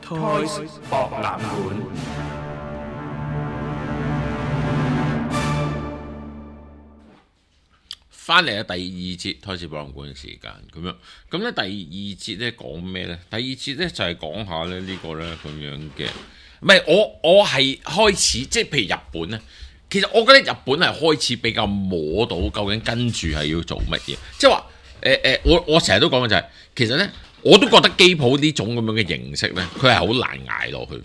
Toys 博覽館。翻嚟啊！第二節開始博覽館嘅時間咁樣，咁咧第二節咧講咩咧？第二節咧就係講下咧呢個咧咁樣嘅，唔係我係開始即係譬如日本咧，其實我覺得日本係開始比較摸到究竟跟住係要做乜嘢，即係話我成日都講嘅就係、其實咧我都覺得機鋪呢種咁樣嘅形式咧，佢係好難捱落去，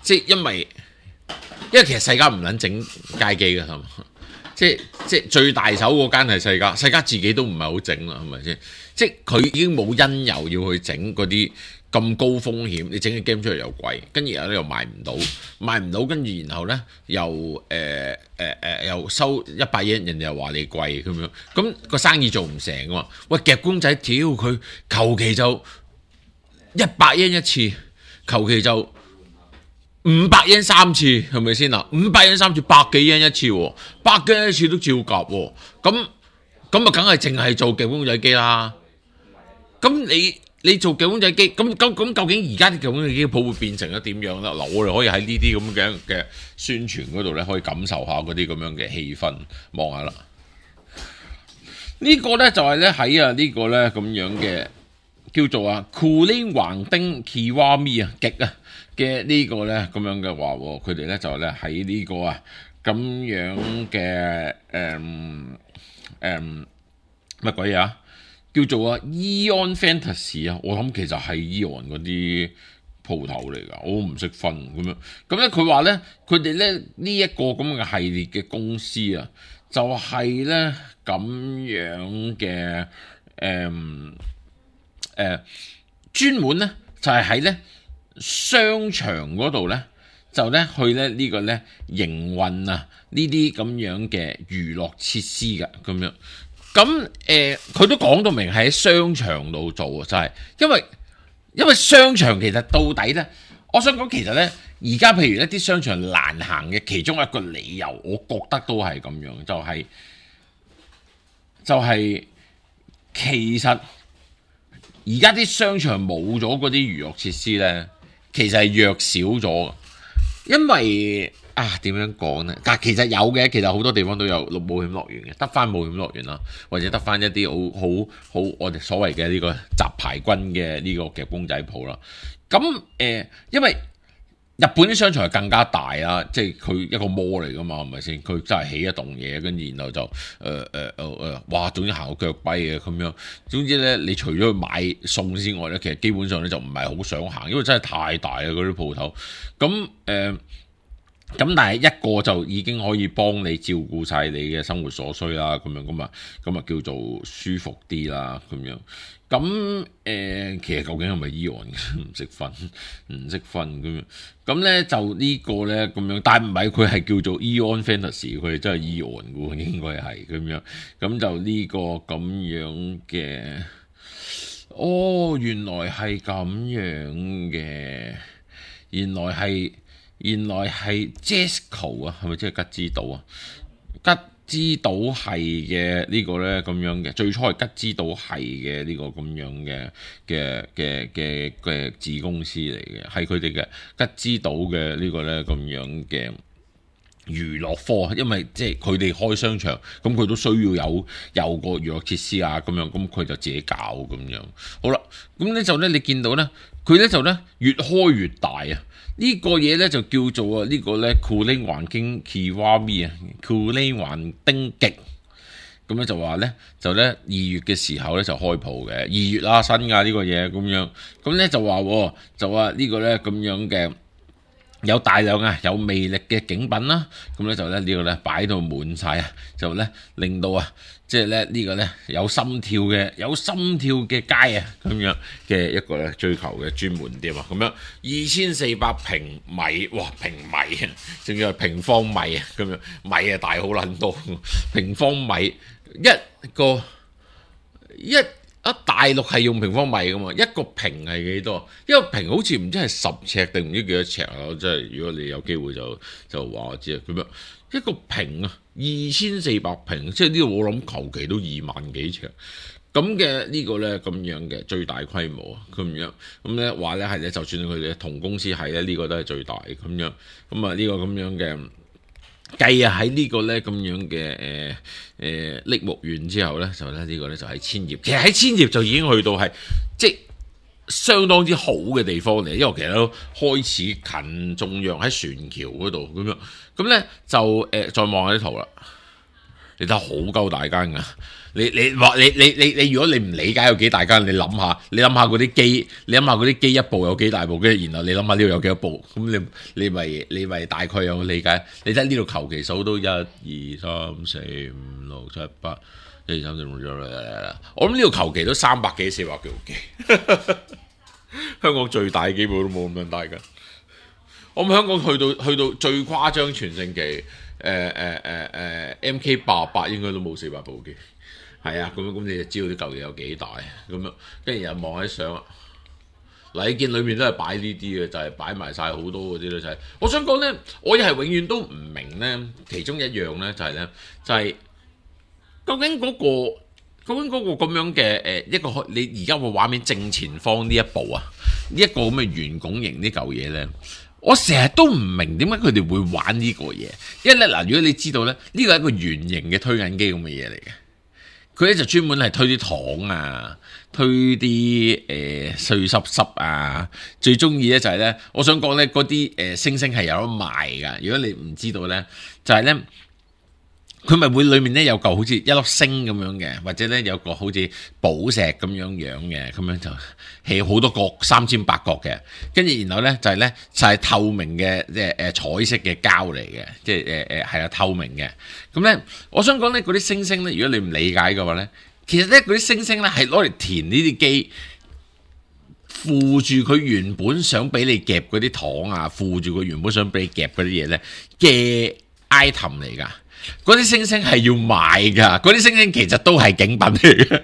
即係因為其實世界唔撚整街機嘅係嘛？即係最大手嗰間係世嘉自己都唔係好整啦，係咪先？即係佢已經冇因由要去整嗰啲咁高風險，你整嘅 game 出嚟又貴，跟住又賣唔到，跟住然後咧又收100yen，人哋又話你貴咁樣，咁個生意做唔成㗎嘛？喂，夾公仔，屌佢求其就100yen一次，求其就500yen 3次，係咪先啊？500yen 3次，100幾yen一次喎，100幾yen一次都照夾喎。咁啊，梗係淨係做夾公仔機啦。咁你做夾公仔機，咁究竟而家啲夾公仔機鋪會變成咗點樣啦？嗱，我哋可以喺呢啲咁嘅宣傳嗰度咧，可以感受下嗰啲咁樣嘅氣氛，望下啦。呢個咧就係咧喺呢個咧咁樣嘅叫做酷靈橫丁 Kiwami 極嘅呢個咧咁樣嘅話，佢哋咧就咧喺呢個咁樣嘅乜鬼嘢叫做Eon Fantasy 我諗其實係 Eon 嗰啲鋪頭嚟㗎，我唔識分咁樣。咁咧佢話咧，佢哋咧呢一個咁嘅系列嘅公司就係咧咁樣嘅專門咧就係喺咧商場嗰度咧，就咧去咧呢個咧營運呢啲咁樣嘅娛樂設施㗎咁樣。咁佢都講到明係喺商場度做，就係因為商場其實到底咧，我想講其實咧，而家譬如一啲商場難行嘅其中一個理由，我覺得都係咁樣，就係其實而家啲商場冇咗嗰啲娛樂設施咧，其實係弱少咗，因為點樣講呢？但其實有嘅，其實好多地方都有冒險樂園嘅，得翻冒險樂園啦，或者得翻一啲好我哋所謂嘅呢個雜牌軍嘅呢個夾公仔鋪啦。咁因為日本啲商場係更加大啦，即係佢一個 mall 嚟噶嘛，係咪先？佢真係起一棟嘢，跟住然後就哇，總之行到腳跛嘅咁樣。總之咧，你除咗去買餸之外咧，其實基本上咧就唔係好想行，因為真係太大啦嗰啲鋪頭。咁但係一個就已經可以幫你照顧晒你嘅生活所需啦，咁啊叫做舒服啲啦，咁樣。咁其實究竟係咪 Eon 唔識分咁樣？咁咧就呢個咧咁樣，但係唔係佢係叫做 Eon Fantasy，佢係真係 Eon 嘅喎，應該係咁樣。咁就呢個咁樣嘅，原來係咁樣嘅，原來係 Jesco 係咪即係吉之島吉之島係嘅呢個咧咁樣嘅，最初係吉之島係嘅呢個咁樣嘅子公司嚟嘅，係佢哋嘅吉之島嘅呢個咧咁樣嘅娛樂科，因為即係佢哋開商場，咁佢都需要有個娛樂設施咁樣，咁佢就自己搞咁樣。好啦，咁咧就咧你見到咧，佢咧就咧越開越大呢個嘢咧就叫做呢個咧酷靈橫丁 Kiwami 酷靈橫丁極。咁咧就話咧就咧2月嘅時候咧就開鋪嘅，2月啦新㗎呢個嘢咁樣。咁咧就話呢個咧咁樣嘅。有大量有魅力嘅景品啦，咁咧就咧呢個咧擺到滿晒就咧令到即係咧呢個咧有心跳嘅街咁樣嘅一個咧追求嘅專門店咁樣2400平米，哇平米仲要係平方米咁樣，米大好撚多，平方米大陸係用平方米噶嘛，一個平係幾多？一個平好似唔知係10尺定唔知幾多尺即係如果你有機會就話我知咁樣。一個平2400平，即係呢度我諗求其都2萬幾尺。咁嘅呢個咧咁樣嘅最大規模啊，咁樣咁咧話咧係咧，就算佢哋同公司係咧，呢個都係最大咁樣。咁啊呢個咁樣嘅計啊喺呢個咧咁樣嘅栃木縣之後咧，就咧呢個咧就係千葉。其實喺千葉就已經去到係即係相當之好嘅地方嚟，因為其實都開始近中央喺船橋嗰度咁樣。咁咧就再望下啲圖啦。你睇好鳩大間噶，你話你如果你唔理解有幾大間，你諗下嗰啲機，你諗下嗰啲機一部有幾大部，跟住然後你諗下呢度有幾多部，咁你咪大概有理解。你睇呢度求其數都1、2、3、4、5、6、7、8、1、2、3、4、5、6，我諗呢度求其都300幾400幾部機，香港最大機部都冇咁樣大噶。我諗香港去到最誇張全盛期。MK88應該都冇400部機，係啊，咁你就知道啲舊嘢有幾大咁樣，跟住又望喺相，嗱你見裏面都係擺呢啲嘅，就係擺埋晒好多嗰啲咧，就係我想講咧，我亦係永遠都唔明咧，其中一樣咧就係咧，就係究竟嗰個咁樣嘅一個你而家個畫面正前方呢一部啊，呢一個咁嘅圓拱形呢嚿嘢咧。我成日都唔明點解佢哋會玩呢個嘢，因為咧嗱，如果你知道咧，呢個係一個圓形嘅推銀機咁嘅嘢嚟嘅，佢咧就專門係推啲糖啊，推啲碎濕濕啊，最中意咧就係咧，我想講咧嗰啲星星係有得賣噶，如果你唔知道咧，就係咧。佢咪會裏面咧有嚿好似一粒星咁樣嘅，或者咧有個好似寶石咁樣嘅，咁樣就起好多角3尖8角嘅，跟住然後咧就係透明嘅彩色嘅膠嚟嘅，即係係啊透明嘅。咁咧，我想講咧嗰啲星星咧，如果你唔理解嘅話咧，其實咧嗰啲星星咧係攞嚟填呢啲機，附住佢原本想俾你夾嗰啲糖啊，附住佢原本想俾你夾嗰啲嘢咧嘅 item 嚟㗎。嗰啲星星係要買噶，嗰啲星星其實都係景品嚟嘅。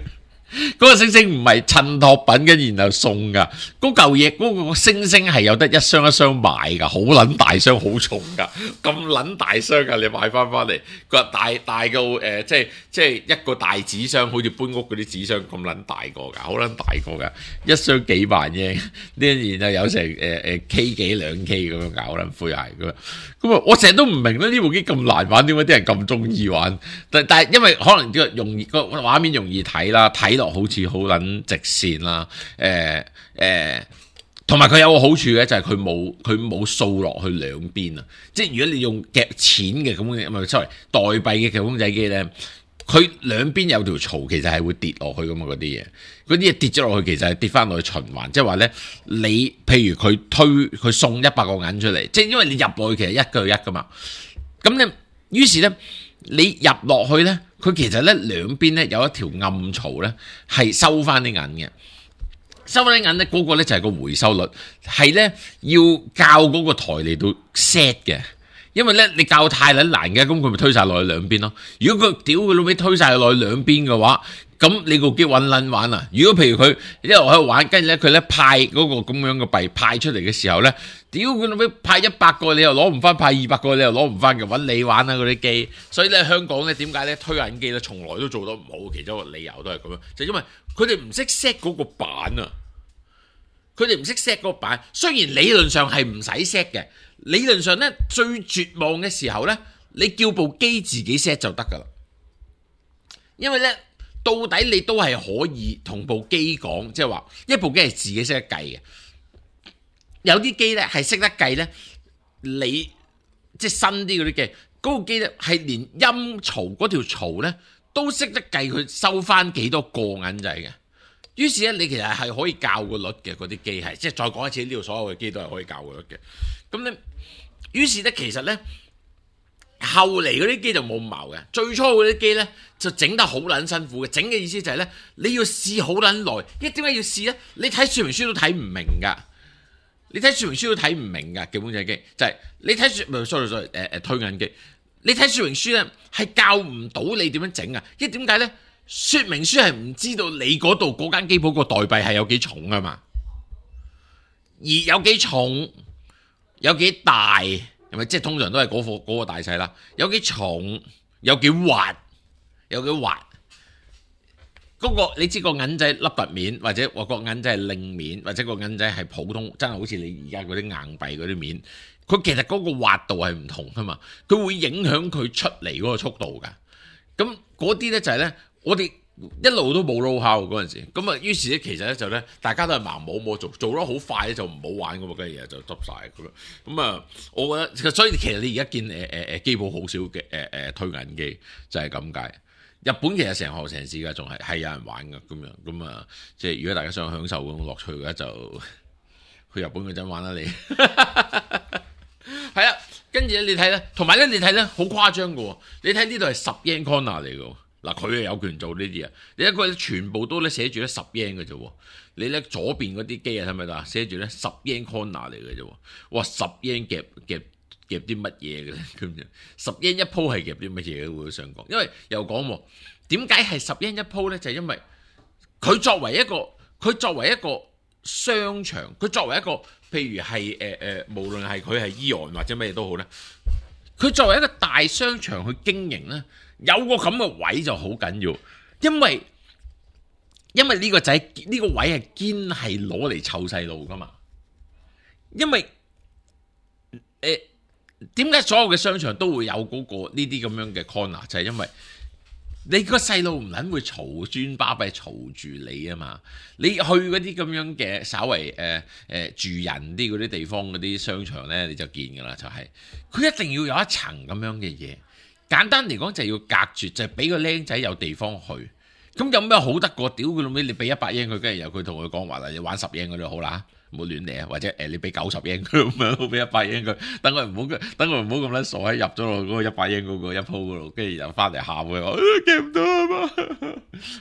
嗰個星星唔係襯托品跟然後送噶，嗰嚿嘢嗰個星星係有得一箱一箱買噶，好撚大箱好重噶，咁撚大箱噶，你買翻嚟個大到即係一個大紙箱，好似搬屋嗰啲紙箱咁撚大個噶，好撚大個噶，一箱幾萬啫，呢然後有成K 幾2 K 咁樣搞撚灰鞋咁啊！我成日都唔明咧，呢部機咁難玩，點解啲人咁中意玩？但係因為可能容易個畫面容易睇啦，睇落好似好撚直線啦，同埋佢有個好處嘅就係佢冇掃落去兩邊啊！即係如果你用夾錢嘅咁嘅，唔係sorry代幣嘅夾公仔機咧，佢兩邊有條槽，其實係會跌落去噶嘛，嗰啲嘢跌咗落去，其實係跌翻落去循環，即係話咧，你譬如佢送100個銀出嚟，即係因為你入落去其實1個1噶嘛，咁咧於是咧你入落去咧，佢其實咧兩邊咧有一條暗槽咧係收翻啲銀嘅。收翻啲銀咧，嗰個咧就係個回收率，係咧要校嗰個台嚟到 set 嘅，因為咧你校太撚難嘅，咁佢咪推晒落去兩邊咯。如果佢屌佢老味推晒落去兩邊嘅話，咁你個機揾撚玩啊！如果譬如佢一路喺度玩，跟住咧佢咧派嗰個咁樣嘅幣派出嚟嘅時候咧，屌佢老味派100個你又攞唔翻，派200個你又攞唔翻嘅，揾你玩啊嗰啲機。所以咧香港咧點解咧推銀機咧從來都做得唔好，其中一個理由都係咁樣，就因為佢哋唔識 set 嗰個板啊。佢哋唔識 set 嗰個板，雖然理論上係唔使 set 嘅，理論上咧最絕望嘅時候咧，你叫部機自己 set 就得噶啦。因為咧到底你都係可以同部機講，即係話一部機係自己識得計嘅。有啲機咧係識得計咧，你即係新啲嗰啲機，嗰部機咧係連音槽嗰條槽咧都識得計佢收翻幾多個銀仔嘅。於是咧，你其實係可以校個率嘅，嗰啲機係，即係再講一次，呢度所有嘅機都係可以校個率嘅。咁咧，於是咧，其實咧，後嚟嗰啲機就冇咁矛嘅。最初嗰啲機咧就整得好撚辛苦嘅，整嘅意思就係咧，你要試好撚耐。因為點解要試咧？你睇說明書都睇唔明㗎，你睇說明書都睇唔明㗎。基本仔機就係你睇sorry 推銀機，你睇說明書咧係教唔到你點樣整啊？因為點解咧？說明書係唔知道你嗰度嗰間機鋪個代幣係有幾重啊嘛，而有幾重有幾大係咪？即係通常都係嗰個大細啦。有幾重有幾滑有幾滑，嗰個你知個銀仔凹凸面，或者個銀仔係令面，或者個銀仔係普通，真係好似你而家嗰啲硬幣嗰啲面，佢其實嗰個滑度係唔同噶嘛，佢會影響佢出嚟嗰個速度㗎。咁嗰啲咧就係咧，我哋一路都冇 know-how 嗰陣時，咁啊於是咧其實咧就咧大家都係盲摸摸做得好快咧就唔好玩㗎嘛，嗰啲嘢就執晒咁樣。咁啊，我覺得所以其實你而家見機鋪好少嘅推銀機就係咁解。日本其實成行成市㗎，仲係有人玩㗎咁樣。咁啊，即係如果大家想享受嗰種樂趣嘅話，就去日本嗰陣玩啦你。係啊，跟住咧你睇咧，同埋咧你睇咧好誇張㗎喎，你睇呢度係10 yen corner 嚟㗎。嗱，佢係有權做呢啲啊！你一個全部都咧寫住咧10 yen 嘅啫喎，你咧左邊嗰啲機啊，係咪啊？寫住咧10 yen corner 嚟嘅啫喎，哇10 yen 夾啲乜嘢嘅咧咁樣？10 yen 一鋪係夾啲乜嘢嘅？會想講，因為又講喎，點解係10 yen 一鋪咧？就係因為佢作為一個商場，佢作為一個譬如係無論係佢係AEON或者乜嘢都好咧，佢作為一個大商場去經營咧。有個咁嘅位就好緊要，因為呢個仔呢個位係堅係攞嚟湊細路噶嘛。因為點解所有嘅商場都會有嗰個呢啲咁樣嘅 corner， 就係因為你個細路唔撚會嘈專巴閉嘈住你啊嘛。你去嗰啲咁樣嘅稍為住人啲嗰啲地方嗰啲商場咧，你就見㗎啦，就係佢一定要有一層咁樣嘅嘢。簡單嚟講就係要隔絕，就係俾個僆仔有地方去。咁有咩好得過？屌佢老味，你俾100 yen 佢，跟住由佢同佢講話啦，你玩10 yen 嗰啲好啦，唔好亂嚟啊！或者你俾90 yen 佢咁樣，俾100 yen 佢，等佢唔好咁撚傻喺入咗落嗰個100 yen 嗰個一鋪嗰度，跟住又翻嚟喊佢話夾唔到啊嘛，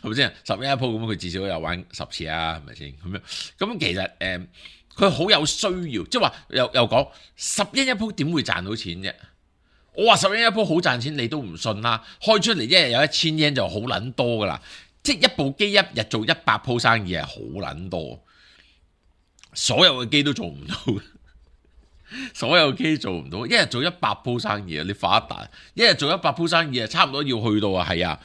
係咪先？10 yen 一鋪咁，佢至少有玩10次啊，係咪先？咁樣咁其實佢好有需要，即係話又講10 yen 一鋪點會賺到錢啫？我話10 yen 一鋪好賺錢，你都唔信啦！開出嚟一日有1000 yen就好撚多噶啦，即係一部機一日做100鋪生意係好撚多，所有嘅機都做唔到，所有機做唔到，一日做100鋪生意啊！你發一達，一日做100鋪生意啊，差唔多要去到啊，係啊，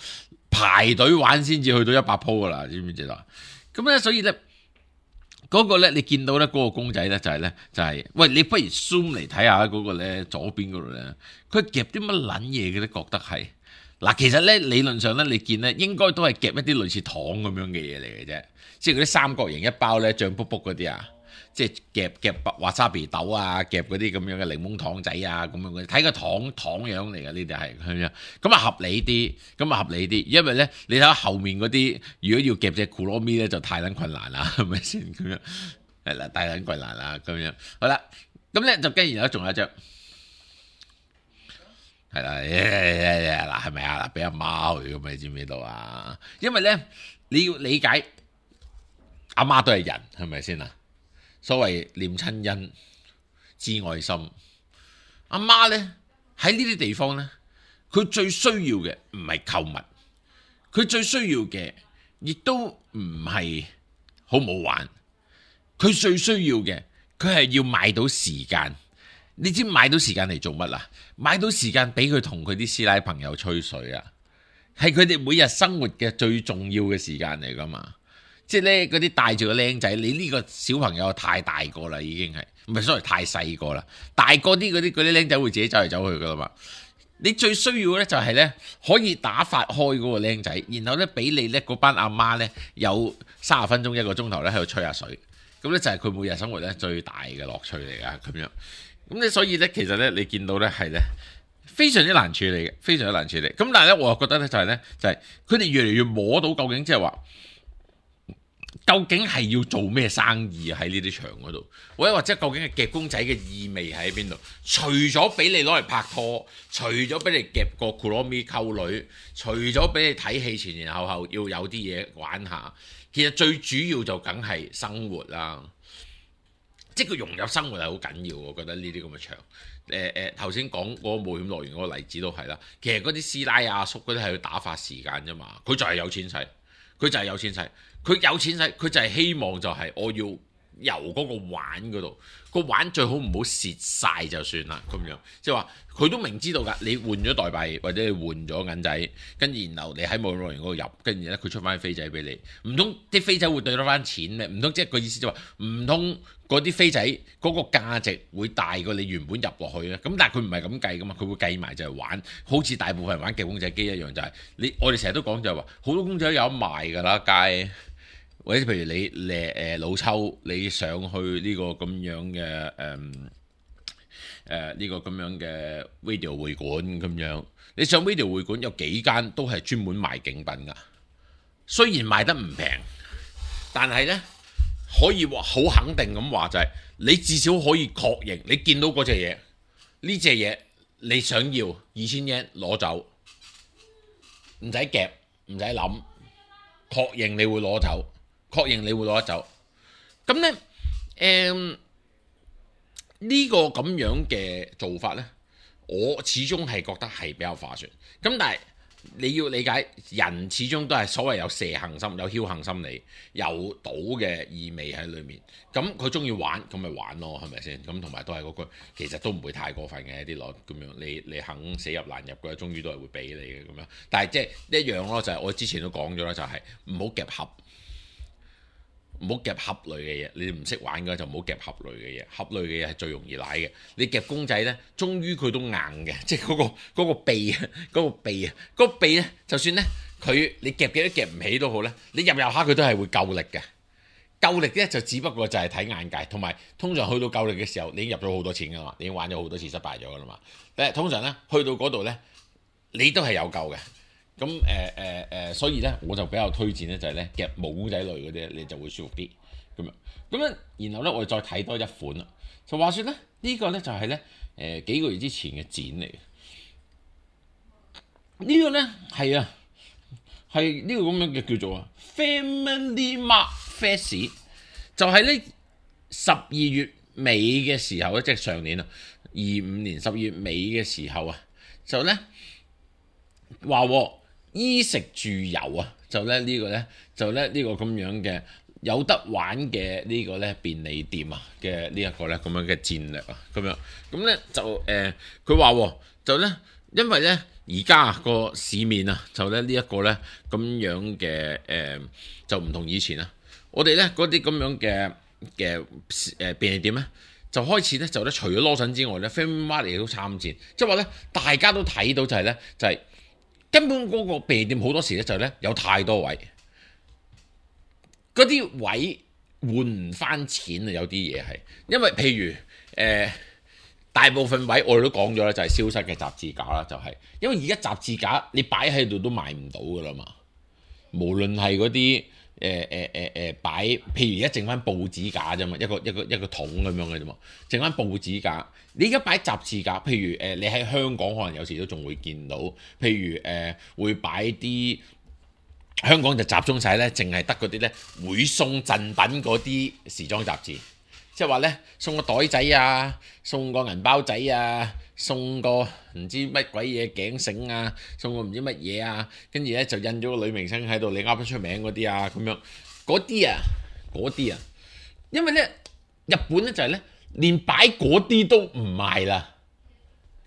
排隊玩先至去到100鋪噶啦，知唔知道？咁咧，所以咧。嗰個咧，你見到咧嗰個公仔咧就係，喂，你不如 zoom 嚟睇下嗰個咧左邊嗰度咧，佢夾啲乜撚嘢嘅咧？覺得係嗱，其實咧理論上咧，你見咧應該都係夾一啲類似糖咁樣嘅嘢嚟嘅啫，即係嗰啲三角形一包咧醬卜卜嗰啲啊，即係夾華沙比豆啊，夾嗰啲咁樣嘅檸檬糖仔啊，咁樣嘅，睇個糖樣嚟嘅，呢啲係咁樣，咁啊合理啲，因為咧你睇下後面嗰啲，如果要夾隻庫羅咪咧就太撚困難啦，係咪先咁樣？係啦，太撚困難啦，咁樣好啦，咁咧就跟然後仲有一張，係啦，嗱係咪啊？嗱俾阿媽去咁，你知唔知道啊？因為咧你要理解阿媽都係人，係咪先啊？所謂念親恩、知愛心，阿媽呢喺呢啲地方呢，佢最需要嘅唔係購物，佢最需要嘅亦都唔係好唔好玩，佢最需要嘅佢係要買到時間。你知買到時間嚟做乜啊？買到時間俾佢同佢啲師奶朋友吹水啊，係佢哋每日生活嘅最重要嘅時間嚟噶嘛。即係咧，嗰啲帶住個僆仔，你呢個小朋友太大個啦，已經係唔係所謂太細個啦？大個啲嗰啲僆仔會自己走嚟走去噶啦嘛。你最需要咧就係咧可以打發開嗰個僆仔，然後咧俾你咧嗰班阿媽咧有30分鐘1個鐘頭咧喺度吹下水，咁咧就係佢每日生活咧最大嘅樂趣嚟噶咁樣。咁咧所以咧其實咧你見到咧係咧非常之難處理嘅，非常之難處理。咁但係咧我又覺得咧就係佢哋越嚟越摸到究竟即係話。究竟係要做咩生意喺呢啲場嗰度，或者究竟係夾公仔嘅意味喺邊度？除咗俾你攞嚟拍拖，除咗俾你夾個庫羅咪溝女，除咗俾你睇戲前前後後要有啲嘢玩下，其實最主要就梗係生活啦。即係佢融入生活係好緊要，我覺得呢啲咁嘅場。頭先講嗰個冒險樂園嗰個例子都係啦。其實嗰啲師奶阿叔嗰啲係要打發時間啫嘛，佢就係有錢使，佢有錢使，佢就係希望就係我要由嗰個玩嗰度，個玩最好唔好蝕晒就算啦，咁樣即係話佢都明知道㗎，你換咗代幣或者你換咗銀仔，跟住然後你喺網絡嗰度入，跟住咧佢出翻飛仔俾你，唔通啲飛仔會對得翻錢咩？唔通即係個意思就話唔通嗰啲飛仔嗰個價值會大過你原本入落去咧？咁但係佢唔係咁計㗎嘛，佢會計埋就係玩，好似大部分人玩夾公仔機一樣，就係我哋成日都講就係話好多公仔都有得賣㗎啦，街。或者譬如你老抽，你上去呢個咁樣嘅呢個咁樣嘅 video 會館咁樣，你上 video 會館有幾間都係專門賣競品㗎。雖然賣得唔平，但係呢可以話好肯定咁話就係、你至少可以確認你見到嗰隻嘢，呢隻嘢你想要2000 yen 攞走，唔使夾唔使諗，確認你會攞走。確認你會攞得走，咁呢，呢個咁樣嘅做法呢，我始終係覺得係比較划算。咁但係你要理解，人始終都係所謂有蛇行心、有僥倖心理、有賭嘅意味喺裏面。咁佢中意玩，咁咪玩咯，係咪先？咁同埋都係嗰句，其實都唔會太過分嘅啲攞咁樣。你肯死入難入嘅，終於都係會俾你嘅咁樣。但係即係一樣咯，就係我之前都講咗啦，就係唔好夾盒。唔好夾盒類嘅嘢，你哋唔識玩嘅就唔好夾盒類嘅嘢。盒類嘅嘢係最容易舐嘅。你夾公仔呢，終於佢都硬嘅，即係嗰個鼻啊，嗰個鼻呢，就算呢，你夾幾都夾唔起都好呢，你入下佢都係會夠力嘅。夠力呢，就只不過就係睇眼界，同埋通常去到夠力嘅時候，你已經入咗好多錢㗎嘛，你已經玩咗好多次失敗咗㗎啦嘛。但係通常呢，去到嗰度呢，你都係有夠嘅。咁所以咧我就比較推薦咧就係咧夾毛公仔類嗰啲你就會舒服啲咁樣。咁樣然後咧我哋再睇多一款啦。就話說咧呢個咧就係咧幾個月之前嘅展嚟嘅。呢個咧係呢個咁樣嘅叫做Family Mart Fest，就係咧12月尾嘅時候咧，即係上年啊25年12月尾嘅時候啊，就咧話衣食住遊啊，就咧呢個咧就咧呢個咁樣嘅有得玩嘅呢個咧便利店啊嘅呢一個咧咁樣嘅戰略啊，咁樣咁咧就佢話就咧因為咧而家個市面啊就咧呢一個咧咁樣嘅就唔同以前啊，我哋咧嗰啲咁樣嘅便利店咧就開始咧就咧除咗羅森之外咧 Family Mart 亦都參戰，即係話咧大家都睇到就係咧就係。根本嗰個便利店好多時咧就咧有太多位，嗰啲位換唔翻錢啊！有啲嘢係，因為譬如大部分位我哋都講咗啦，就係消失嘅雜誌架啦，就係因為而家雜誌架你擺喺度都賣唔到噶啦嘛，無論係嗰啲擺，譬如而家剩翻報紙架啫嘛，一個桶咁樣嘅啫嘛，剩翻報紙架。你而家擺雜誌架，譬如你喺香港可能有時都仲會見到，譬如會擺啲香港就集中晒咧，淨係得嗰啲咧會送贈品嗰啲時裝雜誌，即係話咧送個袋仔啊，送個銀包仔啊，送個唔知乜鬼嘢頸繩啊，送個唔知乜嘢啊，跟住咧就印咗個女明星喺度，你噏得出名嗰啲啊，咁樣嗰啲啊，因為咧日本咧就係咧。連擺嗰啲都唔賣啦，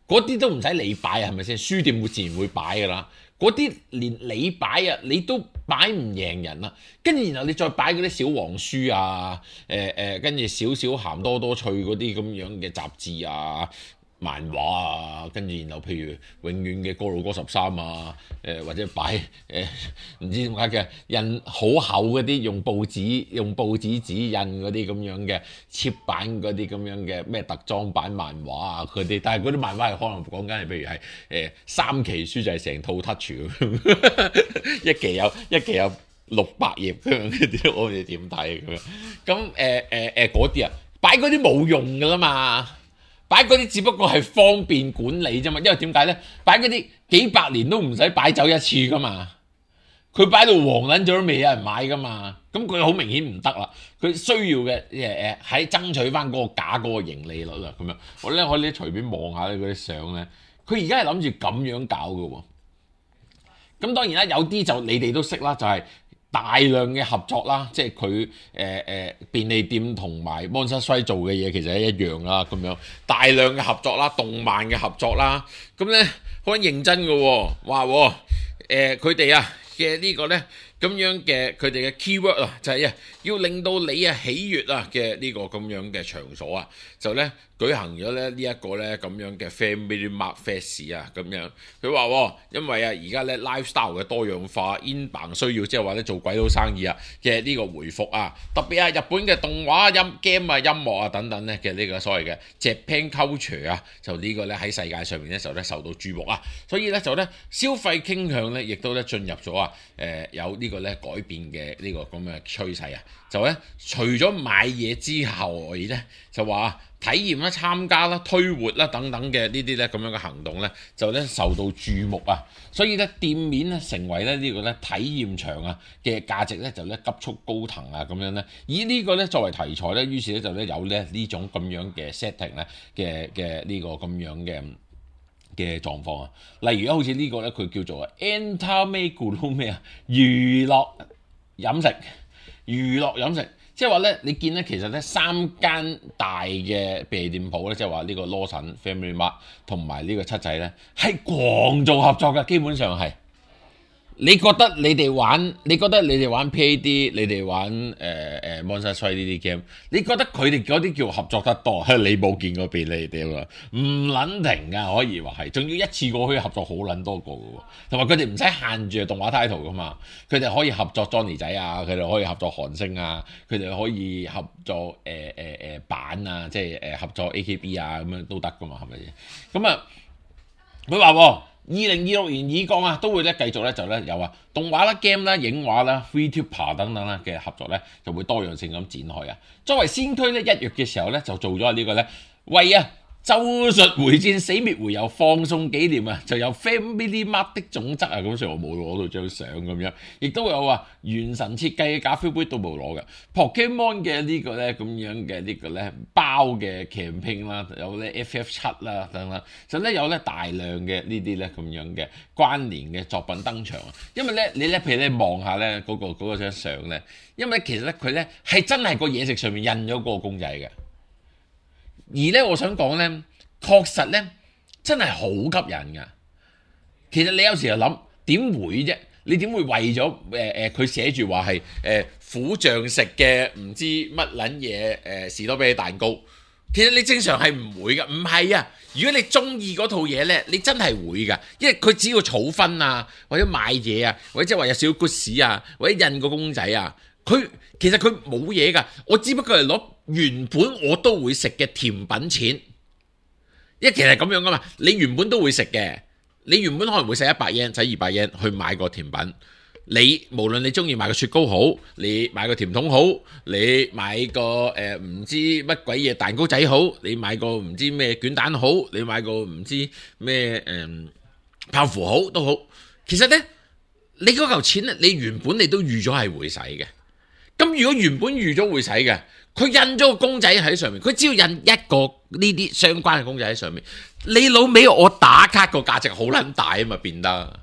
嗰啲都唔使你擺啊，係咪先？書店會自然會擺噶啦。嗰啲連你擺啊，你都擺唔贏人啦。跟住然後你再擺嗰啲小黃書啊，跟住少少鹹多多趣嗰啲咁樣嘅雜誌啊、漫畫啊，跟住然後譬如永遠嘅歌路歌13啊，或者擺唔知點解嘅印好厚嗰啲用報紙紙印嗰啲咁樣嘅切版嗰啲咁樣嘅咩特裝版漫畫啊佢哋，但係嗰啲漫畫係可能講緊係譬如係3期書就係成套 touch 咁一期有600頁咁樣嗰啲，我哋點睇咁樣？咁嗰啲啊擺嗰啲冇用噶啦嘛。擺嗰啲只不過係方便管理啫嘛，因為點解呢？擺嗰啲幾百年都唔使擺走一次噶嘛，佢擺到黃撚咗都未有人買噶嘛，咁佢好明顯唔得啦。佢需要嘅喺爭取翻嗰個假嗰個盈利率啦，咁樣我咧可以隨便望下咧嗰啲相咧，佢而家係諗住咁樣搞嘅喎。咁當然啦，有啲就你哋都識啦，就係大量嘅合作啦，即係佢便利店同埋 Monster Strike 做嘅嘢其實係一樣啦，咁樣大量嘅合作啦，動漫嘅合作啦，咁咧好認真嘅喎，話佢哋啊嘅呢個咧咁樣嘅佢哋嘅 keyword 啊，就係要令到你喜悅啊嘅呢個咁樣嘅場所啊，就咧舉行咗咧呢一個咧咁樣嘅 Family Mart Fest 啊，咁樣佢話因為而家咧 lifestyle 嘅多樣化 inbound 需要，即係話咧做鬼佬生意嘅呢個回復啊，特別日本嘅動畫game音樂啊等等咧嘅呢個所謂嘅 Japan culture 啊，就呢個咧喺世界上面咧就咧受到注目啊，所以咧就咧消費傾向咧亦都咧進入咗有呢個咧改變嘅呢個咁嘅趨勢啊，就咧除咗買嘢之後咧就話體驗啦、參加啦、推活啦等等嘅呢啲咧咁樣嘅行動咧，就咧受到注目啊，所以咧店面咧成為咧呢個咧體驗場啊嘅價值咧就咧急速高騰啊咁樣咧，以呢個咧作為題材咧，於是咧就咧有咧呢種咁樣嘅 setting 咧嘅呢個咁樣嘅狀況啊，例如好似呢個咧佢叫做 Entertainment 咩啊娛樂飲食。即係話咧，你見咧其實咧3間大嘅便利店鋪咧，即係話呢個羅森、Family Mart 同埋呢個七仔咧，係狂做合作嘅，基本上係。你覺得你哋玩 PAD， 你哋玩Monster Strike 呢啲 game， 你覺得佢哋嗰啲叫合作得多？你冇見過便利店啊？唔撚停㗎，可以話係，仲要一次過可以合作好撚多個嘅喎，同埋佢哋唔使限住動畫 title 㗎嘛，佢哋可以合作 Johnny 仔啊，佢哋可以合作韓星啊，佢哋可以合作版啊，即係合作 AKB 啊咁樣都得㗎嘛，係咪先？咁啊，佢話2026年以降啊，都會咧繼續咧就咧有動畫啦、game 啦、影畫啦、VTuber 等等啦嘅合作咧，就會多樣性咁展開啊。作為先驅咧，1月嘅時候咧就做咗呢個咧為咒術迴戰死滅回遊放送紀念啊，就有 Family Mart 的總則啊，咁所以我冇攞到張相咁樣，亦都有原神設計嘅咖啡杯都冇攞嘅 Pokemon 嘅呢個咧咁樣嘅呢個咧包嘅 campaign 啦，有咧 FF7 啦等等，就咧有咧大量嘅呢啲咧咁樣嘅關聯嘅作品登場啊，因為咧你咧譬如你望下咧嗰張相咧，因為其實咧佢咧係真係個嘢食上面印咗個公仔嘅。而咧，我想講咧，確實咧，真係好吸引噶。其實你有時就諗點會啫？你點會為咗佢寫住話係苦醬食嘅唔知乜撚嘢士多啤梨蛋糕？其實你正常係唔會噶，唔係啊！如果你中意嗰套嘢咧，你真係會噶，因為佢只要儲分啊，或者買嘢啊，或者即係話有少少 goods 啊，或者印個公仔啊。其實佢冇嘢㗎，我只不過係攞原本我都會食嘅甜品錢，因為其實咁樣㗎嘛，你原本都會食嘅，你原本可能會使100 yen、使200 yen去買個甜品，你無論你中意買個雪糕好，你買個甜筒好，你買個唔知乜鬼嘢蛋糕仔好，你買個唔知咩卷蛋好，你買個唔知咩泡芙好都好，其實呢，你嗰嚿錢咧，你原本你都預咗係會使嘅。咁如果原本預咗會使嘅，佢印咗個公仔喺上面，佢只要印一個呢啲相關嘅公仔喺上面，你老味我打卡個價值好撚大啊嘛，變得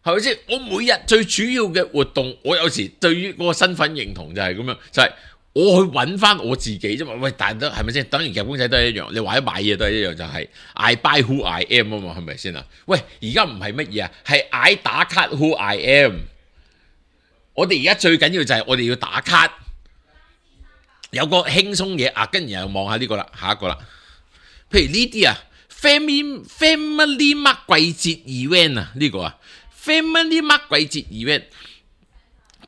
係咪先？我每日最主要嘅活動，我有時對於嗰個身份認同就係咁樣，就係我去揾翻我自己啫嘛。喂，但係都係咪先？等於夾公仔都係一樣，你或者買嘢都係一樣，就係 I buy who I am 啊嘛，係咪先啊？喂，而家唔係乜嘢啊，係 I 打卡 who I am。我哋而家最緊要就係我哋要打卡，有個輕鬆嘢啊，跟住又望下呢個啦，下一個啦。譬如呢啲Family Mart 季節 event 啊，呢個Family Mart 季節 event，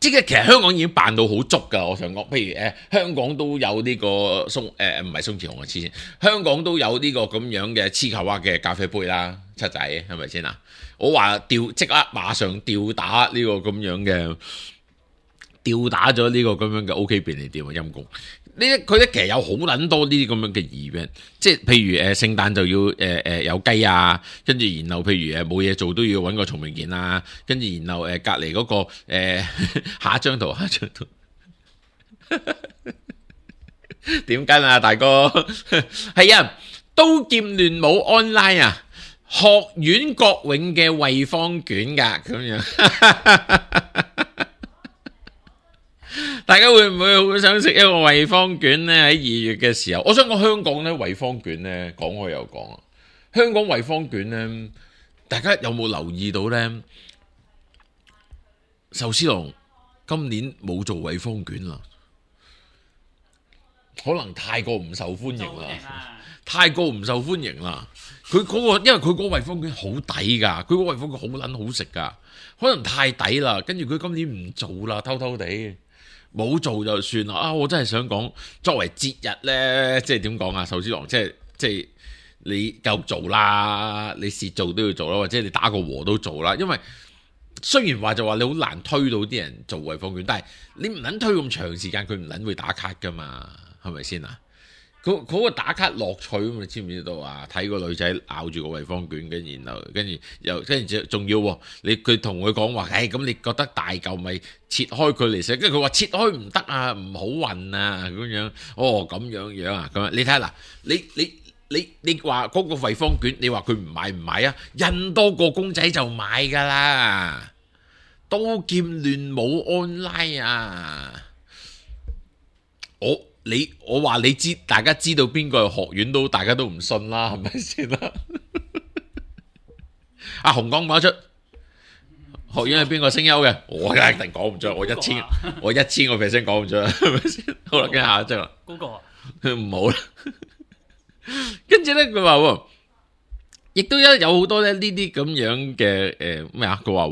即係其實香港已經辦到好足㗎。我想講，譬如香港都有呢個唔係鬆弛紅啊，黐線，香港都有呢個咁樣嘅黐球蛙嘅咖啡杯啦，七仔係咪先啊？我話即刻馬上吊打呢個咁樣嘅。吊打咗呢個咁樣嘅 OK 便利店啊，陰公！佢咧其實有好撚多呢啲咁樣嘅 event， 即係譬如聖誕就要有雞啊，跟住然後譬如冇嘢做都要揾個松明件啊，跟住然後隔離嗰個下一張圖點跟啊大哥？係啊，刀劍亂舞 online 啊，學院國永嘅惠方卷㗎咁樣。大家會唔會好想食一個惠方卷呢？喺2月嘅時候，我想講香港呢惠方卷呢，講開又講啊。香港惠方卷呢，大家有冇留意到呢？壽司郎今年冇做惠方卷啦，可能太過唔受歡迎啦，太過唔受歡迎啦。佢嗰個因為佢嗰個惠方卷好抵㗎，佢嗰個惠方卷好撚好食㗎，可能太抵啦。跟住佢今年唔做啦，偷偷地冇做就算啦。我真係想講，作為節日呢，即係點講啊？壽司郎即係你夠做啦，你蝕做都要做啦，或者你打個和都做啦。因為雖然話就話你好難推到啲人做惠方卷，但係你唔撚推咁長時間，佢唔撚會打卡㗎嘛，係咪先啊？嗰個打卡樂趣咁，你知唔知道啊？睇個女仔咬住個惠方卷，跟住仲要佢同佢講話，咁你覺得大嚿咪切開佢嚟食？跟住佢話切開唔得啊，唔好運啊咁樣。咁樣啊，咁樣你睇下嗱，你話嗰個惠方卷，你話佢唔買啊？印多個公仔就買㗎啦，刀劍亂舞 online 啊！我話你知，大家知道邊個係學院都，大家都唔信啦，係咪先啦？阿紅講唔講出學院係邊個聲優嘅？我一定講唔出，我1000個 percent 講唔出，係咪先？好啦，跟下一張啦。嗰個唔好啦。跟住咧，佢話亦都有好多咧呢啲咁樣嘅咩啊？佢話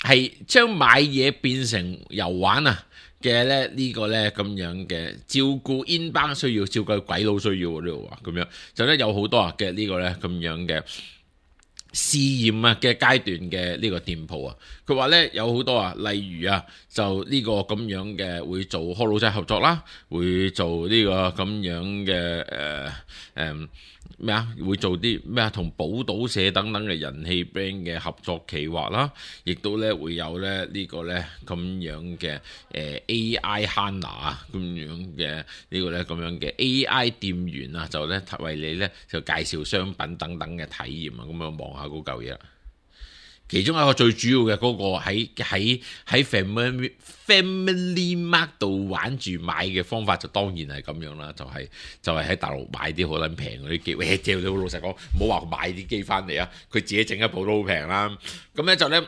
係將買嘢變成遊玩啊！嘅咧呢個咧咁樣嘅照顧 inbound 需要，照顧鬼佬需要呢度話咁樣，就咧有好多嘅呢個咧咁樣嘅試驗啊嘅階段嘅呢個店鋪啊，佢話咧有好多啊，例如啊就呢個咁樣嘅會做開老仔合作啦，會做呢個咁樣嘅咩啊？會做啲咩啊？同寶島社等等嘅人氣 brand 嘅合作企劃啦，亦都咧會有咧呢個咧咁樣嘅AI Hana 啊咁樣嘅呢個咧咁樣嘅 AI 店員啊，就咧為你咧就介紹商品等等嘅體驗啊，咁樣望下嗰嚿嘢啦。其中一個最主要嘅嗰個喺 Family Mart 度玩住買嘅方法就當然係咁樣啦，就係喺大陸買啲好撚平嗰啲機，你好老實講，唔好話買啲機翻嚟啊，佢自己整一部都好平啦。咁咧就咧，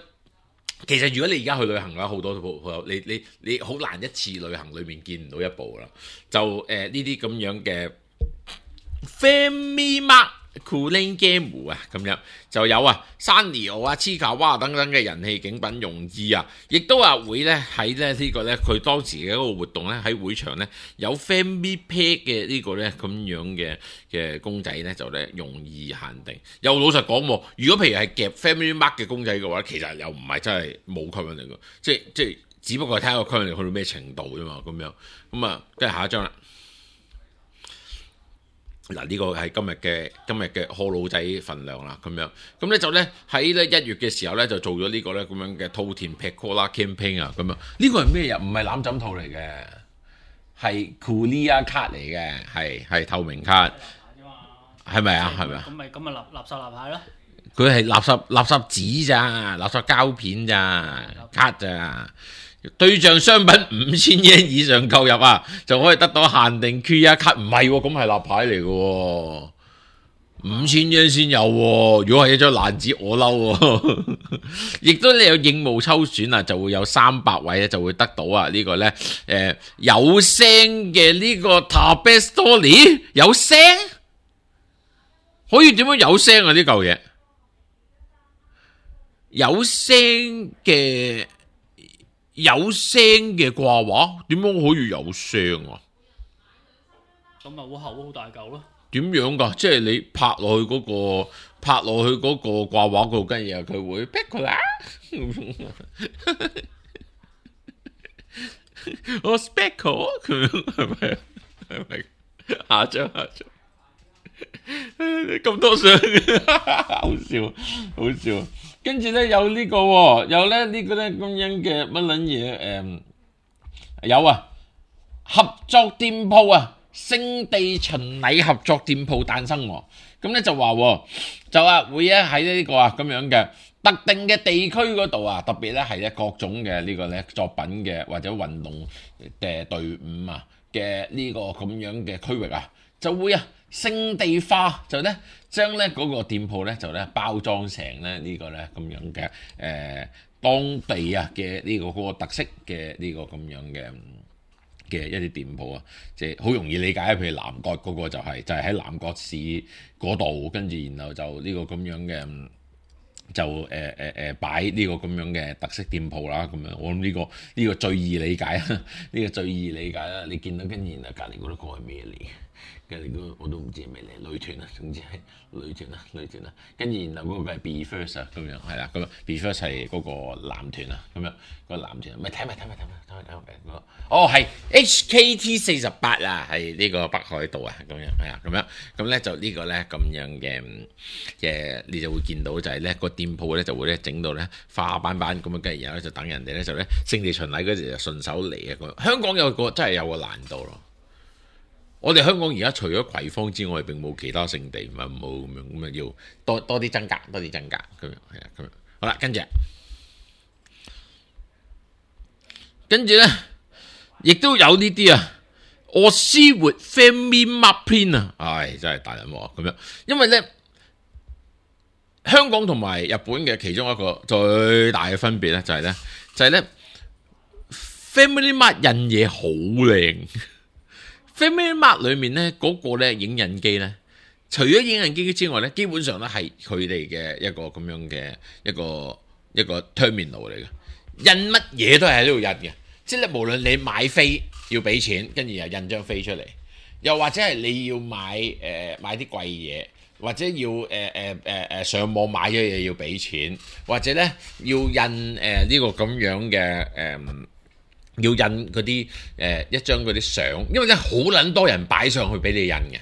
其實如果你而家去旅行嘅話，好多部你好難一次旅行裏面見唔到一部啦。就呢啲咁樣嘅 Family Mart Cooling Game 啊，咁樣就有啊，Sanrio 啊、黐卡哇等等嘅人氣景品用意啊，亦都話會咧喺咧呢個咧佢當時嘅一個活動咧喺會場咧有 Family Pack 嘅呢個咧咁樣嘅公仔咧就咧容易限定。又老實講喎，如果譬如係夾 Family Mart 嘅公仔嘅話，其實又唔係真係冇吸引力嘅，即係只不過係睇下個吸引力去到咩程度啫嘛，咁樣咁啊，跟住下一張啦。嗱，呢個係今日嘅賀老仔份量啦，咁樣咁咧就咧喺咧1月嘅時候咧就做咗呢個咧咁樣嘅兔田 Pecola campaign 啊，咁樣呢個係咩呀？唔係攬枕套嚟嘅，係 Coolia 卡嚟嘅，係透明卡，係咪啊？係咪啊？咁咪垃圾立牌咯？佢係垃圾紙咋，垃圾膠片咋，卡咋。對象商品5000 yen 以上購入啊，就可以得到限定 QR 卡。唔係喎，咁係立牌嚟嘅喎，5000 yen 先有喎。如果係一張爛紙，我嬲喎。亦都你有應募抽選啊，就會有300位咧，就會得到啊呢個咧有聲嘅呢個 Tabet Story 有聲，可以點樣有聲啊？呢嚿嘢有聲嘅掛畫，點樣可以有聲啊？咁咪好厚好大嚿咯。點樣㗎？即係你拍落去嗰個掛畫嗰度，跟住佢會劈佢啦。我 speckle 佢係咪？下張。咁多相，好笑。跟住咧有呢個喎，有咧呢個咧咁樣嘅乜撚嘢有啊，合作店鋪啊，聖地巡禮合作店鋪誕生喎。咁咧就話會喺呢個啊咁樣嘅特定嘅地區嗰度啊，特別咧係咧各種嘅呢個咧作品嘅或者運動嘅隊伍啊嘅呢個咁樣嘅區域啊，就會啊聖地化，就咧將咧嗰個店鋪咧就咧包裝成咧呢個咧咁樣嘅當地啊嘅呢個嗰個特色嘅呢個咁樣嘅一啲店鋪啊，即係好容易理解。譬如南角嗰個就係喺南角市嗰度，跟住然後就呢個咁樣嘅就擺呢個咁樣嘅特色店鋪啦。咁樣我諗呢個最易理解啊，呢個最易理解啦。你見到跟住然後隔離嗰個係咩嚟？跟住嗰我都唔知係咩嚟，女團啊，總之係女團啊，跟住然後嗰個係 Be First 啊，咁樣係啦，咁啊 Be First 係嗰個男團啊，咁樣嗰個男團，咪睇埋哦係 HKT48啊，係呢個北海道啊，咁樣係啊，咁咧就呢個咧咁樣嘅你就會見到就係咧個店鋪咧就會咧整到咧花斑斑咁樣，跟住然後咧就等人哋咧就咧聖地巡禮嗰時就順手嚟啊咁。香港真係有個難度咯。我哋香港而家除咗葵芳之外，並冇其他聖地，咪冇咁樣要多啲增加咁樣係啊咁樣。好啦，跟住咧，亦都有呢啲啊，我思活 Family Mart 啊，唉，真係大人喎咁樣。因為咧，香港同埋日本嘅其中一個最大嘅分別咧，就係咧 Family Mart 印嘢好靚。Family Mart 裏面咧嗰個咧影印機咧，除咗影印機之外咧，基本上咧係佢哋嘅一個咁樣嘅一個 terminal 嚟嘅，印乜嘢都係喺呢度印嘅。即係咧，無論你買飛要俾錢，跟住又印張飛出嚟，又或者係你要買啲貴嘢，或者要上網買咗嘢要俾錢，或者咧要印呢個咁樣嘅要印嗰啲一張嗰啲相，因為咧好撚多人擺上去俾你印嘅，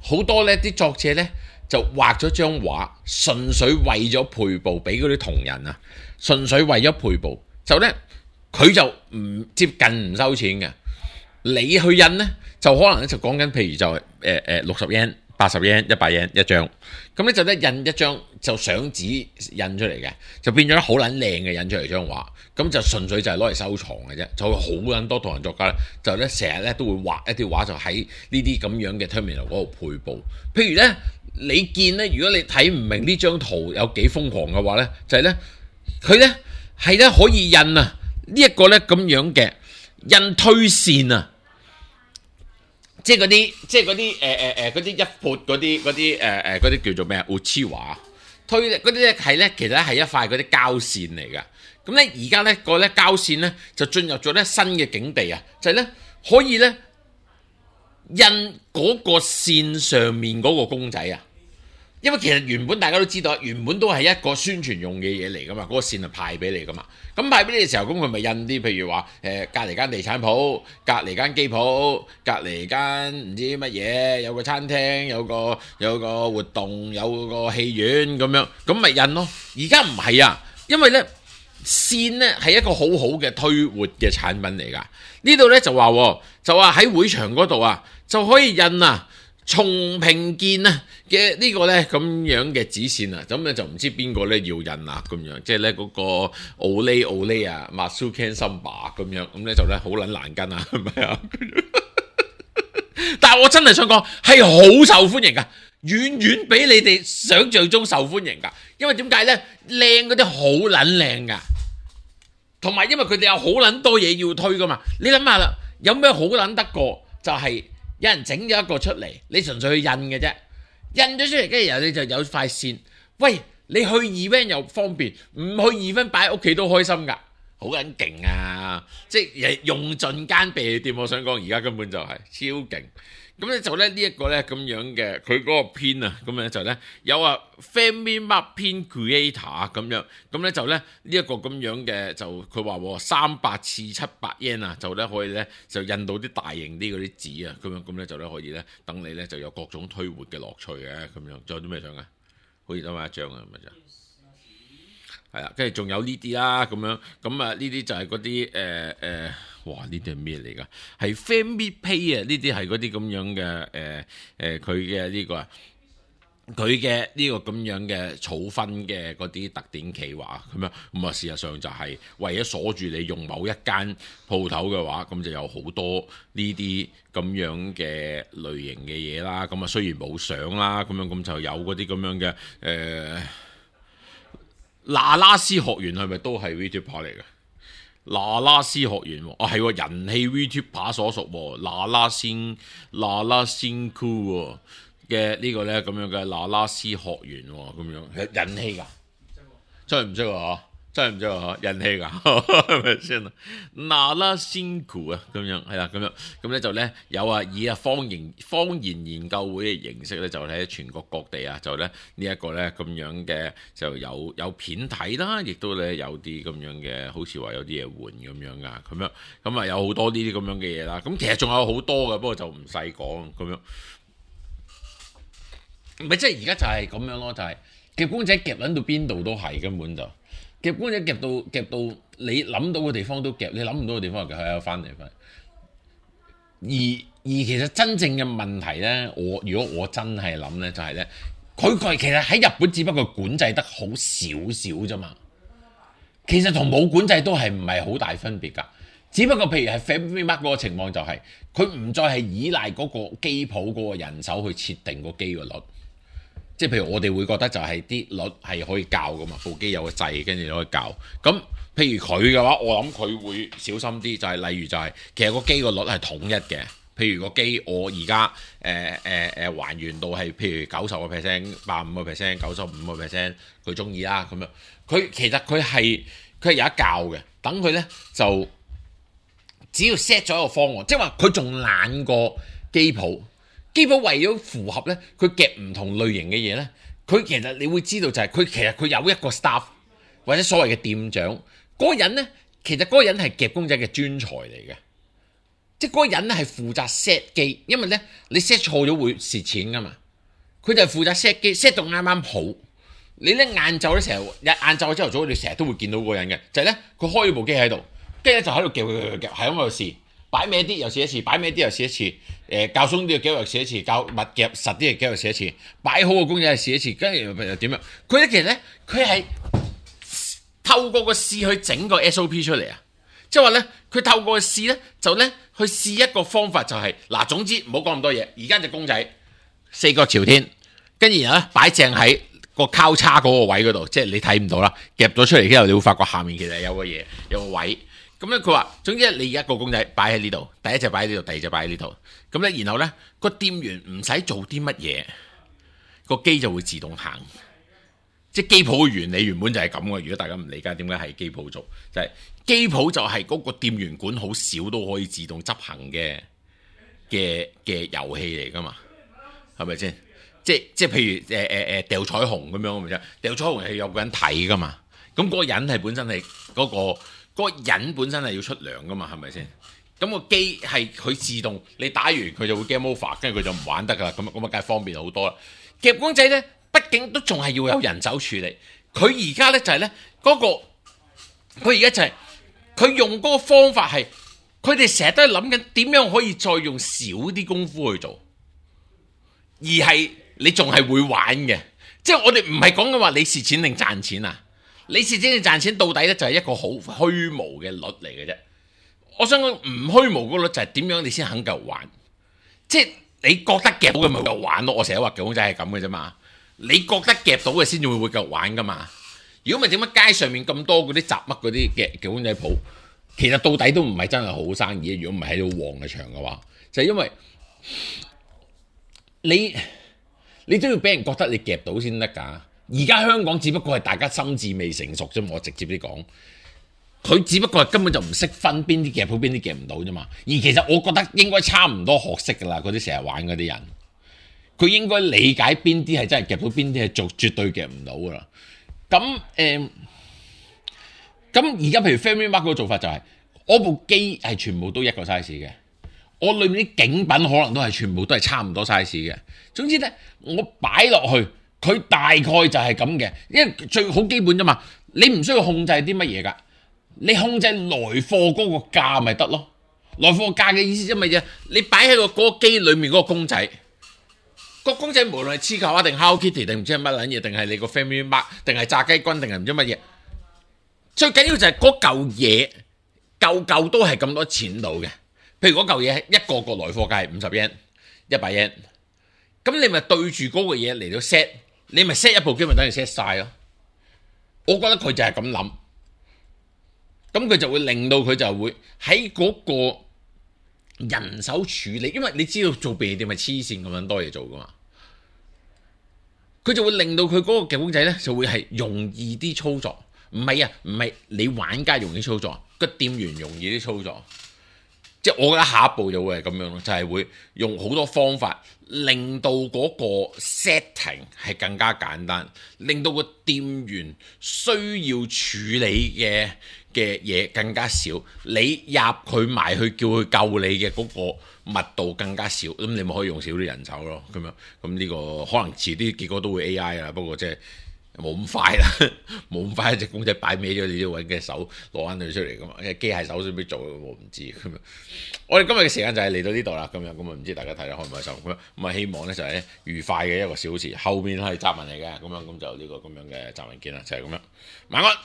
好多咧啲作者咧就畫咗張畫，純粹為咗配布俾嗰啲同人啊，純粹為咗配布，就咧佢就唔接近唔收錢嘅，你去印咧就可能咧就講緊，譬如就60 yen、80 yen、100 yen一張，咁咧就咧印一張就相紙印出嚟嘅，就變咗好撚靚嘅印出嚟張畫。咁就純粹就係攞嚟收藏嘅啫，就會好撚多同人作家咧，就咧成日咧都會畫一啲畫，就喺呢啲咁樣嘅 terminal 嗰度配布。譬如咧，你見咧，如果你睇唔明呢張圖有幾瘋狂嘅話咧，就係咧佢咧係咧可以印啊呢一個咧咁樣嘅印推線啊，即係嗰啲一闊嗰啲叫做咩啊？烏黐畫推嗰啲咧係咧，其實係一塊嗰啲膠線嚟㗎。咁咧而家咧個咧膠線咧就進入咗咧新嘅境地啊，就係咧可以咧印嗰個線上面嗰個公仔啊，因為其實原本大家都知道，原本都係一個宣傳用嘅嘢嚟噶嘛，嗰個線係派俾你噶嘛，咁派俾你嘅時候，咁佢咪印啲譬如話隔離間地產鋪、隔離間機鋪、隔離間唔知乜嘢，有個餐廳、有個活動、有個戲院咁樣，咁咪印咯。而家唔係啊，因為咧。線咧係一個好好嘅推活嘅產品嚟㗎，呢度咧就話喺會場嗰度啊就可以印啊松平健啊嘅呢個咧咁樣嘅紙線啊，咁咧就唔知邊個咧要印啊咁樣，即係咧嗰個奧利啊 Masuken Samba 咁樣，咁咧就咧好撚難跟啊，係咪啊？但係我真係想講係好受歡迎㗎。遠遠比你哋想象中受歡迎㗎，因為點解呢？靚嗰啲好撚靚㗎，同埋因為佢哋有好撚多嘢要推㗎嘛。你諗下啦，有咩好撚得過？就係有人整咗一個出嚟，你純粹去印嘅啫，印咗出嚟跟住然後你就有塊線。喂，你去 event 又方便，唔去 event 擺喺屋企都開心㗎，好撚勁啊！即係用盡間避店，我想講而家根本就係超勁。咁咧就咧呢一個咧咁樣嘅佢嗰個編啊，咁咧就咧有啊 Family Mart 編 Creator 咁樣，咁咧就咧呢一個咁樣嘅就佢話300次700 yen 啊，就咧可以咧就印到啲大型啲嗰啲紙啊，咁咧就咧可以咧等你咧就有各種推活嘅樂趣嘅咁樣。仲有啲咩相啊？好似得返一張啊，咁就係啦，跟住仲有呢啲啦，咁樣咁啊呢啲就係嗰啲哇！呢啲係咩嚟㗎？係 Family Pay 啊！呢啲係嗰啲咁樣嘅佢嘅呢個佢嘅呢個咁樣嘅儲分嘅嗰啲特典企劃咁樣，咁啊事實上就係為咗鎖住你用某一間鋪頭嘅話，咁就有好多呢啲咁樣嘅類型嘅嘢啦。咁啊雖然冇相啦，咁樣咁就有嗰啲咁樣嘅那拉斯學園係咪都係 VTuber 嚟嘅？那拉斯學園喎，係喎，人氣 VTuber 所屬喎，那拉仙酷喎。嘅呢個咧咁樣嘅那拉斯學園喎，咁樣人氣㗎，真係唔識喎，真係唔識喎，人氣㗎，係咪先啊？那拉仙酷啊，咁樣係啦，咁咧就咧有啊，以啊方言研究會嘅形式咧，就喺全國各地啊，就咧呢一個咧咁樣嘅就有片睇啦，亦都咧有啲咁樣嘅，好似話有啲嘢換咁樣㗎，咁啊有好多呢啲咁樣嘅嘢啦，咁其實仲有好多嘅，不過就唔細講咁樣。唔係，即係而家就係咁樣咯，就係夾公仔夾撚到邊度都係，根本就夾公仔夾到你諗到嘅地方都夾，你諗唔到嘅地方就係翻嚟。而其實真正嘅問題咧，如果我真係諗咧，就係咧，佢其實喺日本只不過管制得好少少啫嘛，其實同冇管制都係唔係好大分別㗎。只不過譬如係 FamilyMart 嗰個情況就係佢唔再係依賴嗰個機鋪嗰個人手去設定個機個率。即係譬如我哋會覺得就係啲率係可以校噶嘛，部機有個掣跟住你可以校。咁譬如佢嘅話，我諗佢會小心啲，就係例如就係其實個機個率係統一嘅。譬如個機我而家還原到係譬如90%、85%、95%，佢中意啦咁樣。佢其實佢係有一校嘅，等佢咧就只要 set 咗一個方案，即係話佢仲懶過機鋪。機鋪為咗符合咧，佢夾唔同類型嘅嘢咧，佢其實你會知道就係佢有一個 staff 或者所謂嘅店長嗰個人咧，其實嗰個人係夾公仔嘅專才嚟嘅，即係嗰個人咧係負責 set 機，因為咧你 set 錯咗會蝕錢噶嘛，佢就係負責 set 機 set 到啱啱好。你咧晏晝咧成日晏晝朝頭早，你成日都會見到嗰個人嘅，就係咧佢開咗部機喺度，跟住咧就喺度夾，係咁喺度試。擺咩啲又試一次，擺咩啲又試一次，較鬆啲嘅機又試一次，較密夾實啲嘅機又試一次，擺好個公仔又試一次，跟住又點樣？佢咧其實咧，佢係透過個試去整個 SOP 出嚟啊！即係話咧，佢透過個試咧，就咧去試一個方法就係嗱，總之唔好講咁多嘢。而家隻公仔四腳朝天，跟住然後咧擺正喺個交叉嗰個位嗰度，即係你睇唔到啦，夾咗出嚟之後，你會發覺下面其實有個嘢，有個位。咁咧佢話，總之你一個公仔擺喺呢度，第一隻擺喺呢度，第二隻擺喺呢度。咁咧，然後咧個店員唔使做啲乜嘢，個機就會自動行。即係機鋪嘅原理原本就係咁嘅。如果大家唔理解點解係機鋪做，就係機鋪就係嗰個店員管好少都可以自動執行嘅遊戲嚟噶嘛，係咪先？即係譬如掉彩虹咁樣咪啫，掉彩虹係有個人睇噶嘛。咁嗰個人係本身係嗰個人本身係要出糧噶嘛，係咪先？咁個機係佢自動，你打完佢就會 game over，跟住佢就唔玩得噶啦。咁啊梗係方便好多啦。夾公仔咧，畢竟都仲係要有人手處理。佢而家咧就係咧嗰個，佢而家就係佢用嗰個方法係，佢哋成日都係諗緊點樣可以再用少啲功夫去做，而係你仲係會玩嘅。即係我哋唔係講緊話你蝕錢定賺錢啊！你蝕錢定賺錢到底咧就係一個好虛無嘅率嚟嘅啫。我想講唔虛無嗰率就係點樣你先肯夠玩，即係你覺得夾到嘅咪夠玩咯。我成日話夾公仔係咁嘅啫嘛，你覺得夾到嘅先至會夠玩噶嘛。如果唔係點解街上面咁多嗰啲雜乜嗰啲夾公仔鋪，其實到底都唔係真係好生意。如果唔係喺度旺嘅場嘅話，就係因為你都要俾人覺得你夾到先得㗎。而家香港只不過係大家心智未成熟啫嘛，我直接啲講，佢只不過係根本就唔識分邊啲夾到邊啲夾唔到啫嘛。而其實我覺得應該差唔多學識㗎啦，嗰啲成日玩嗰啲人，佢應該理解邊啲係真係夾到，邊啲係做絕對夾唔到㗎啦。咁而家譬如 FamilyMart 嗰個做法就係，我部機係全部都一個 size 嘅，我裏面啲景品可能都係全部都係差唔多 size 嘅。總之咧，我擺落去。佢大概就係咁嘅，因為最好基本啫嘛，你唔需要控制啲乜嘢㗎，你控制來貨嗰個價咪得咯。來貨價嘅意思即係乜嘢？你擺喺嗰個機裡面嗰個公仔，個公仔無論係黐球啊定 Hello Kitty 定唔知係乜撚嘢，定係你個 Family Mart 定係炸雞君定係唔知乜嘢，最緊要就係嗰嚿嘢嚿都係咁多錢到嘅。譬如嗰嚿嘢一個來貨價係50 yen、100 yen，咁你咪對住嗰個嘢嚟到 set， 你咪 set 一部機咪等於 set 晒咯。我覺得佢就係咁諗，咁佢就會令到佢就會喺嗰個人手處理，因為你知道做便利店係黐線咁樣多嘢做噶嘛，佢就會令到佢嗰個公仔咧就會係容易啲操作。唔係你玩家容易操作，個店員容易啲操作。即係我覺得下一步就會係咁樣咯，就係會用好多方法令到嗰個 setting 係更加簡單，令到個店員需要處理嘅嘢更加少，你入佢埋去叫佢救你嘅嗰個密度更加少，咁你咪可以用少啲人手咯，咁樣咁呢個可能遲啲結果都會 AI 啦，不過即係冇咁快啦，冇咁快一隻公仔擺歪咗，你都要揾嘅手攞翻佢出嚟噶嘛，機械手先必做，我唔知咁樣。我哋今日嘅時間就係嚟到呢度啦，咁樣唔知大家睇得開唔開心咁啊，希望咧就係愉快嘅一個小時，後面係雜文嚟嘅，咁就呢個咁樣嘅雜文見啦，就係咁樣，晚安。